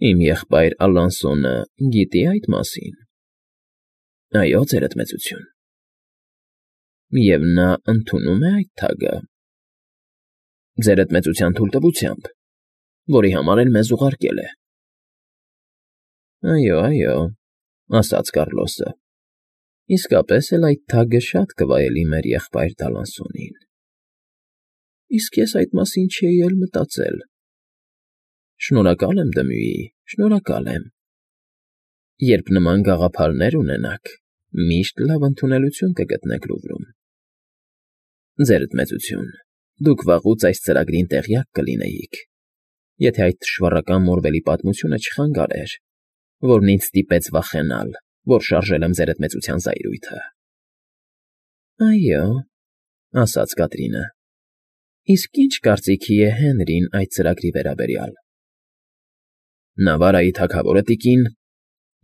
Իմ եղբայր Ալանսոնը գիտի՞ այդ մասին։ ֊ Այո, ձերդ մեծություն։ ֊ Եվ նա ընդունում է այդ թագը։ ֊ Ձերդ մեծության թույլտվությամբ, որի համար էլ մեզ ուղարկել է։ ֊ Այո, այո,֊ ասաց Կառլոսը,֊ իսկապես էլ այդ թագը շատ կվայելի մեր եղբայր Ալանսոնին։ Իսկ ես այդ մասին չէի էլ մտածել։ Շնորհակալ եմ, Դմյուի, շնորհակալ եմ։ Երբ նման գաղափարներ ունենաք, միշտ լավ ընդունելություն կգտնեք Լուվրում։ Ձերդ մեծություն, դուք վաղուց այս ծրագրին տեղյակ կլինեիք, եթե այդ թշվառական Մորվելի պատմությունը չխանգարեր, որն ինձ ստիպեց վախենալ, որ շարժել եմ ձերդ մեծության զայրույթը։ ֊ Այո,֊ ասաց Կատրինը,֊ իսկ ի՞նչ կարծիքի է Հենրին այդ ծրագրի վերաբերյալ։ ֊ Նավարայի թագավորը, տիկին,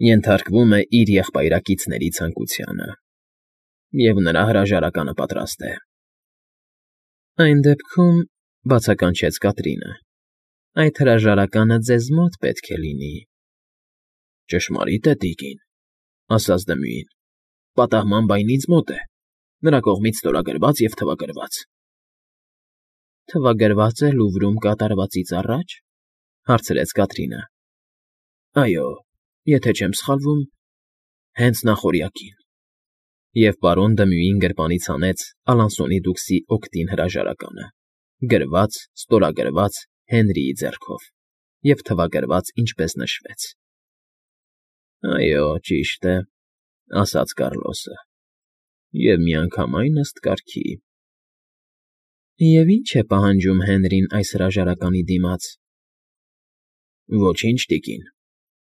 ենթարկվում է իր եղբայրակիցների ցանկությանը, և նրա հրաժարականը պատրաստ է։ ֊ Այն դեպքում,֊ բացականչեց Կատրինը,֊ այդ հրաժարականը ձեզ մոտ պետք է լինի։ ֊ Ճշմարիտ է, տիկին,֊ ասաց Դմյուին,֊ պատահմամբ այն ինձ մոտ է, նրա կողմից ստորագրված և թվագրված։ ֊ Թվագրվա՞ծ է Լուվրում կատարվածից առաջ,֊ հարցրեց Կատրինը։ ֊ Այո, եթե չեմ սխալվում, հենց նախօրյակին։ Եվ պարոն Դմյուին գրպանից հանեց Ալանսոնի դուքսի օգտին հրաժարականը, գրված, ստորագրված Հենրիի ձեռքով և թվագրված ինչպես նշվեց։ ֊ Այո, ճիշտ է,֊ ասաց Կառլոսը,֊ և միանգամայն ըստ կարգի։ ֊ Եվ ի՞նչ է պահանջում Հենրին այս հրաժարականի դիմաց։ ֊ Ոչինչ, տիկին,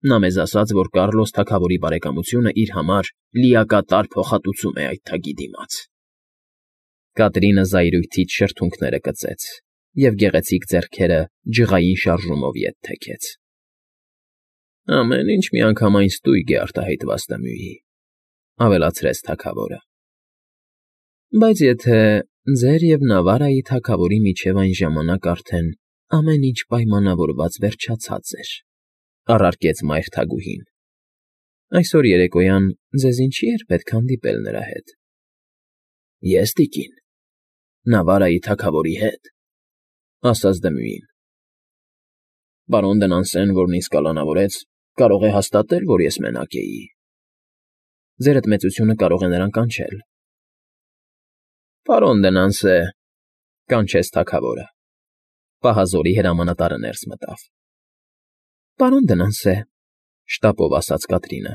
նա մեզ ասաց, որ Կառլոս թագավորի բարեկամությունն իր համար լիակատար փոխհատուցում է այդ թագի դիմաց։ Կատրինը զայրույթից շրթունքները կծեց և գեղեցիկ ձեռքերը ջղային շարժումով ետ թեքեց։ ֊ Ամեն ինչ միանգամայն ստույգ է արտահայտված, Դմյուի,֊ ավելացրեց թագավորը։ ֊ Բայց եթե ձեր և Նավարայի թագավորի միջև այն ժամանակ արդեն ամեն ինչ պայմանավորված վերջացած էր,֊ առարկեց մայր թագուհին,֊ այսօր երեկոյան ձեզ ինչի՞ էր պետք հանդիպել նրա հետ։ ֊ Ես, տիկին, Նավարայի թագավորի հետ,֊ ասաց Դմյուին։ ֊ Պարոն Դնանսեն, որն ինձ կալանավորեց, կարող է հաստատել, որ ես մենակ էի։ Ձերդ մեծությունը կարող է նրան կանչել։ ֊ Պարոն Դնանսե,֊ կանչեց թագավորը։ Պահազորի հրամանատարը ներս մտավ։ ֊ Պարոն Դնանսե,֊ շտապով ասաց Կատրինը,֊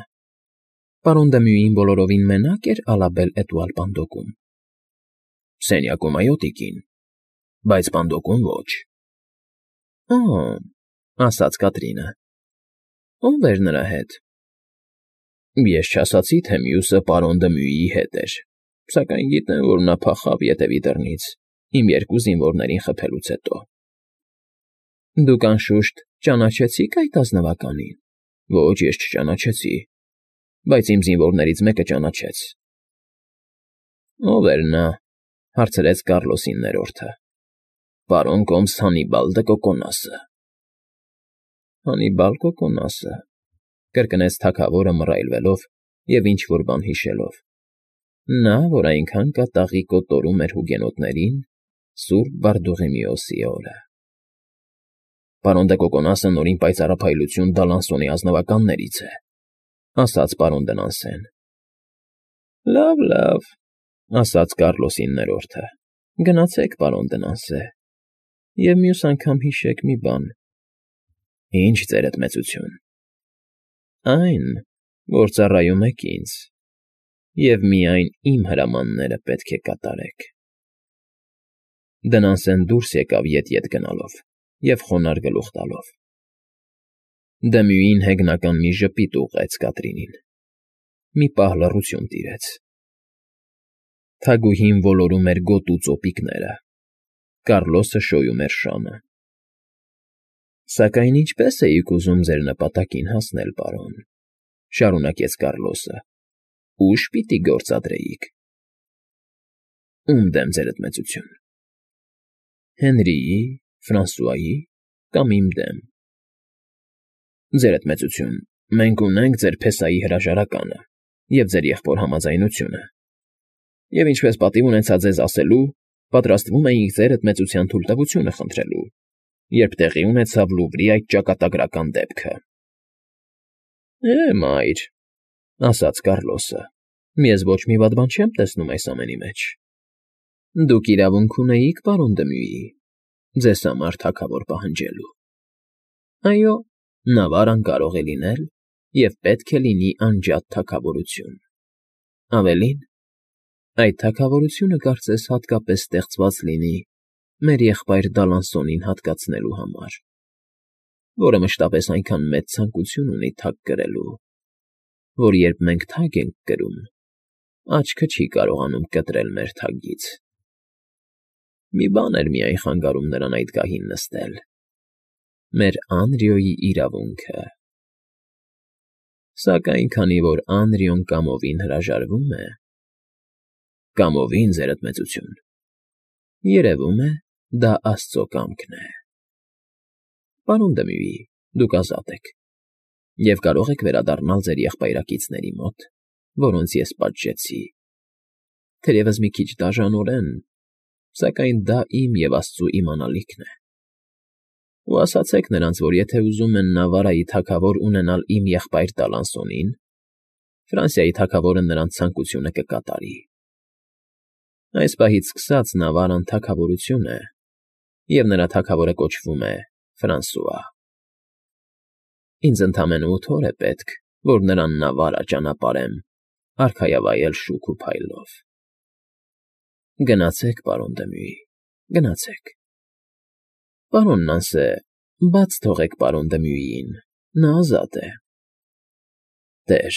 պարոն Դմյուին բոլորովին մենա՞կ էր Ալաբել֊Էտուալ պանդոկում։ ֊ Սենյակում, այո, տիկին, բայց պանդոկում ոչ։ ֊ Օ՜, ասաց Կատրինը,֊ ո՞վ էր նրա հետ։ ֊ Ես չասացի, թե մյուսը պարոն Դմյուիի հետ էր, սակայն գիտեմ, որ նա փախավ ետևի դռնից իմ երկու զինվորներին խփելուց հետո։ ֊ Դուք, անշուշտ, ճանաչեցի՞ք այդ ազնվականին։ ֊ Ոչ, ես չճանաչեցի, բայց իմ զինվորներից մեկը ճանաչեց։ ֊ Ո՞վ էր նա,֊ հարցրեց Կառլոսի ներորդը։ ֊ Պարոն կոմս Հանիբալ դը Կոկոնասը։ ֊ Հանիբալ Կոկոնասը,֊ կրկնեց թագավորը մռայլվելով և ինչ֊որ բան հիշելով։ ֊ Նա, որ այնքան կատաղի կոտորում էր հուգենոտներին սուրբ Բարդուղիմեոսի օրը։ ֊ Պարոն դը Կոկոնասը նորին պայծառափայլություն Դալանսոնի ազնվականներից է,֊ ասաց պարոն Դնանսեն։ ֊ Լավ, լավ,֊ ասաց Կառլոսի ներորդը,֊ գնացեք, պարոն Դնանսե, և մյուս անգամ հիշեք մի բան։ ֊ Ինչ, ձերդ մեծություն։ ֊ Այն, որ ծառայում եք ինձ, և միայն իմ հրամանները պետք է կատարեք։ Դնանսեն դուրս եկավ ետ֊ետ գնալով և խոնարհ գլուխ տալով։ Դմյուին հեգնական մի ժպիտ ուղղեց Կատրինին։ Մի պահ լռություն տիրեց։ Թագուհին ոլորում էր գոտու ծոպիկները, Կառլոսը շոյում էր շանը։ ֊ Սակայն ինչպե՞ս էիք ուզում ձեր նպատակին հասնել, պարոն,֊ շարունակեց Կառլոսը,֊ ուժ պիտի գործադրեիք։ ֊ Ո՞ւմ դեմ, ձերդ մեծություն։ ֊ Հենրիի, Ֆրանսուայի կամ իմ դեմ։ Ձերդ մեծություն, մենք ունենք ձեր փեսայի հրաժարականը և ձեր եղբոր համաձայնությունը, և ինչպես պատիվ ունեցա ձեզ ասելու, պատրաստվում էինք ձերդ մեծության թույլտվությունը խնդրելու, երբ տեղի ունեցավ Լուվրի այդ ճակատագրական դեպքը։ Մայր, ասաց Կառլոսը, ես ոչ մի վատ բան չեմ տեսնում այս ամենի մեջ։ Դուք իրավունք ունեիք, պարոն Դմյուի, ձեզ համար թագավոր պահանջելու։ Այո, Նավարան կարող է լինել և պետք է լինի անջատ թագավորություն։ Ավելին, այդ թագավորությունը կարծես հատկապես ստեղծված լինի մեր եղբայր Դալանսոնին հատկացնելու համար, որը մշտապես այնքան մեծ ցանկություն ունի թագ կրելու, որ երբ մենք թագ ենք կրում, աչքը չի կարողանում կտրել մեր թագից։ Մի բան էր միայն խանգարում նրան այդ գահին նստել. մեր Անրիոյի իրավունքը։ Սակայն քանի որ Անրիոն կամովին հրաժարվում է… Կամովին, ձերդ մեծություն, երևում է, դա աստծո կամքն է։ Պարոն Դմյուի, դուք ազատ եք և կարող եք վերադառնալ ձեր եղբայրակիցների մոտ, որոնց ես պատժեցի, թերևս մի քիչ դաժանորեն, սակայն դա իմ և Աստծու իմանալիքն է։ Ու ասացեք նրանց, որ եթե ուզում են Նավարայի թագավոր ունենալ իմ եղբայր Դալանսոնին, Ֆրանսիայի թագավորը նրանց ցանկությունը կկատարի։ Այս պահից սկսած Նավարան թագավորություն է, և նրա թագավորը կոչվում է Ֆրանսուଆ։ Ինձ ընդամենը 8 օր է պետք, որ նրան Նավարա ճանապարհեմ, արքայավայել շուք ու փայլով։ Գնացեք, պարոն Դմյուի, գնացեք։ Պարոն Նանսե, բաց թողեք պարոն Դմյուիին, նա ազատ է։ Տեր,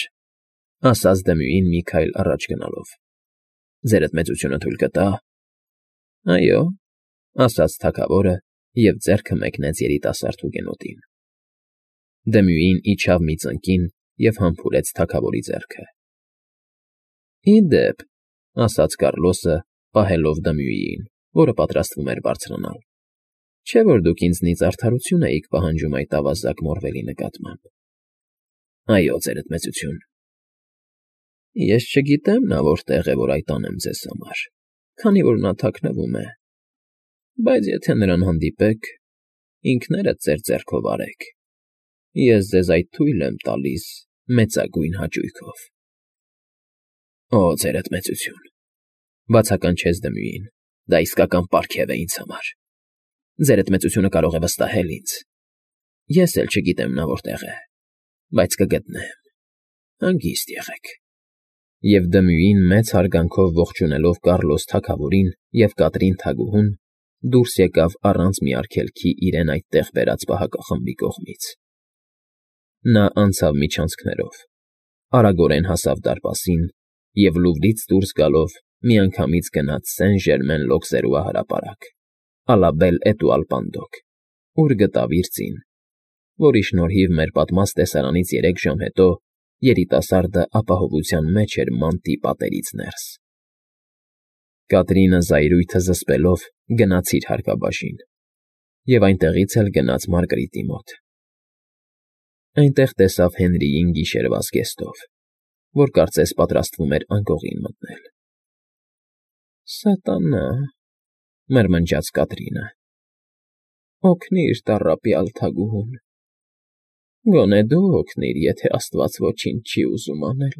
ասաց Դմյուին մի քայլ առաջ գնալով, ձերդ մեծությունը թույլ կտա։ Այո, ասաց թագավորը և ձեռքը մեկնեց երիտասարդ հուգենոտին։ Դմյուին իջավ մի ծնկին և համբուրեց թագավորի ձեռքը։ Ի դեպ, ասաց Կառլոսը, պահելով Դմյուիին, որը պատրաստվում էր բարձրանալ, չէ՞ որ դուք ինձնից արդարություն էիք պահանջում այդ ավազակ Մորվելի նկատմամբ։ Այո, ձերդ մեծություն։ Ես չգիտեմ նա որտեղ է, որ այդ անեմ ձեզ համար, քանի որ նա թաքնվում է, բայց եթե նրան հանդիպեք, ինքներդ ձեր ձեռքով արեք, ես ձեզ այդ թույլ եմ տալիս մեծագույն հաճույքով։ Օ, ձերդ մեծություն, բացականչեց Դմյուին, դա իսկական պարգև է ինձ համար։ Ձերդ մեծությունը կարող է վստահել ինձ։ Ես էլ չգիտեմ նա որտեղ է, բայց կգտնեմ։ Հանգիստ եղեք։ Եվ Դմյուին մեծ հարգանքով ողջունելով Կառլոս թագավորին և Կատրին թագուհուն, դուրս եկավ առանց մի արգելքի իրեն այդտեղ բերած պահակախմբի կողմից։ Նա անցավ միջանցքներով, արագորեն հասավ դարպասին և Լուվրից դուրս գալով միանգամից գնաց Սեն Ժերմեն Լոկզերուա à la Belle Étoile Pendant, ուր գտավ իր ծին, որի շնորհիվ մեր պատմած տեսարանից 3 ժամ հետո երիտասարդը ապահովության մեջ էր մանտի պատերից ներս։ Կատրինը զայրույթը զսպելով գնաց իր հարկաբաժին և այնտեղից էլ գնաց Մարգարիտի մոտ։ Այնտեղ տեսավ Հենրիին գիշերվա զգեստով, որ կարծես պատրաստվում էր անկողին մտնել։ Սատանա, մրմնջաց Կատրինը, օգնիր տառապյալ թագուհուն։ Գոնե դու օգնիր, եթե Աստված ոչինչ չի ուզում անել։